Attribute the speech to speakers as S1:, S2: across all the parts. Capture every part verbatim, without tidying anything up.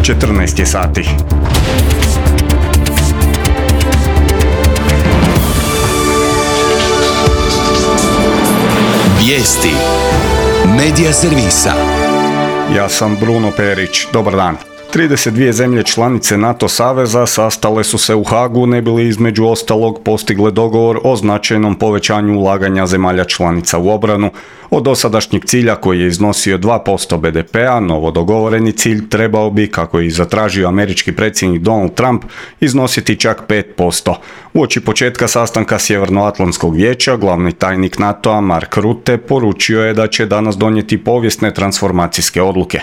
S1: četrnaest je sati.
S2: Vijesti Medija servisa.
S1: Ja sam Bruno Perić. Dobar dan. trideset dvije zemlje članice NATO saveza sastale su se u Hagu ne bi li između ostalog postigle dogovor o značajnom povećanju ulaganja zemalja članica u obranu. Od dosadašnjeg cilja koji je iznosio dva posto be de pea, novo dogovoreni cilj trebao bi, kako je zatražio američki predsjednik Donald Trump, iznositi čak pet posto. Uoči početka sastanka Sjevernoatlantskog vijeća, glavni tajnik NATO-a Mark Rutte poručio je da će danas donijeti povijesne transformacijske odluke.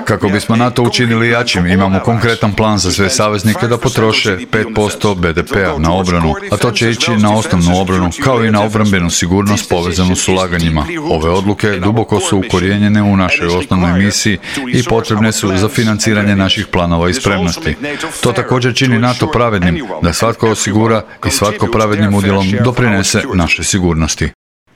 S3: Kako bismo NATO učinili jačim, imamo konkretan plan za sve saveznike da potroše pet posto be de pea na obranu, a to će ići na osnovnu obranu, kao i na obrambenu sigurnost povezanu s ulaganjima. Ove odluke duboko su ukorijenjene u našoj osnovnoj misiji i potrebne su za financiranje naših planova i spremnosti. To također čini NATO pravednim, da svatko osigura i svatko pravednim udjelom doprinese našoj sigurnosti.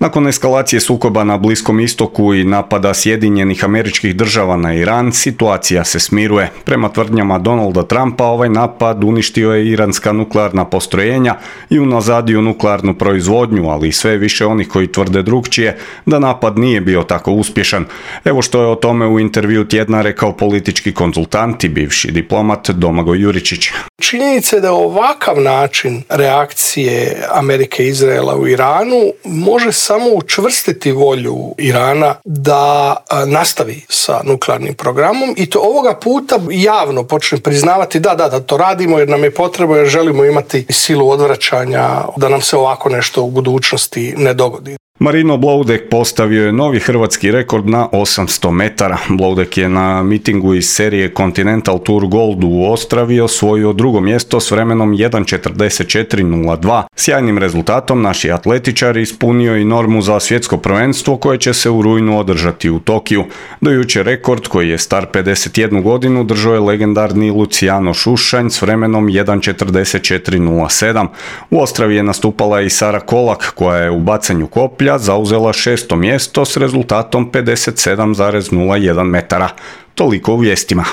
S1: Nakon eskalacije sukoba na Bliskom istoku i napada Sjedinjenih Američkih Država na Iran, situacija se smiruje. Prema tvrdnjama Donalda Trumpa, ovaj napad uništio je iranska nuklearna postrojenja i unazadio nuklearnu proizvodnju, ali i sve više onih koji tvrde drukčije da napad nije bio tako uspješan. Evo što je o tome u intervju tjedna rekao politički konzultant i bivši diplomat Domagoj Juričić.
S4: Činjenica je da ovakav način reakcije Amerike i Izraela u Iranu može samo učvrstiti volju Irana da nastavi sa nuklearnim programom i to ovoga puta javno počne priznavati da, da, da to radimo jer nam je potrebno, jer želimo imati silu odvraćanja da nam se ovako nešto u budućnosti ne dogodi.
S1: Marino Bloudek postavio je novi hrvatski rekord na osamsto metara. Bloudek je na mitingu iz serije Continental Tour Gold u Ostravi osvojio drugo mjesto s vremenom jedan četrdeset četiri nula dva. Sjajnim rezultatom naši atletičar ispunio i normu za svjetsko prvenstvo koje će se u rujnu održati u Tokiju. Do jučer rekord, koji je star pedeset jednu godinu, držao je legendarni Luciano Šušanj s vremenom jedan četrdeset četiri nula sedam. U Ostravi je nastupala i Sara Kolak, koja je u bacanju koplja zauzela šesto mjesto s rezultatom pedeset sedam zarez nula jedan metara. Toliko u vijestima.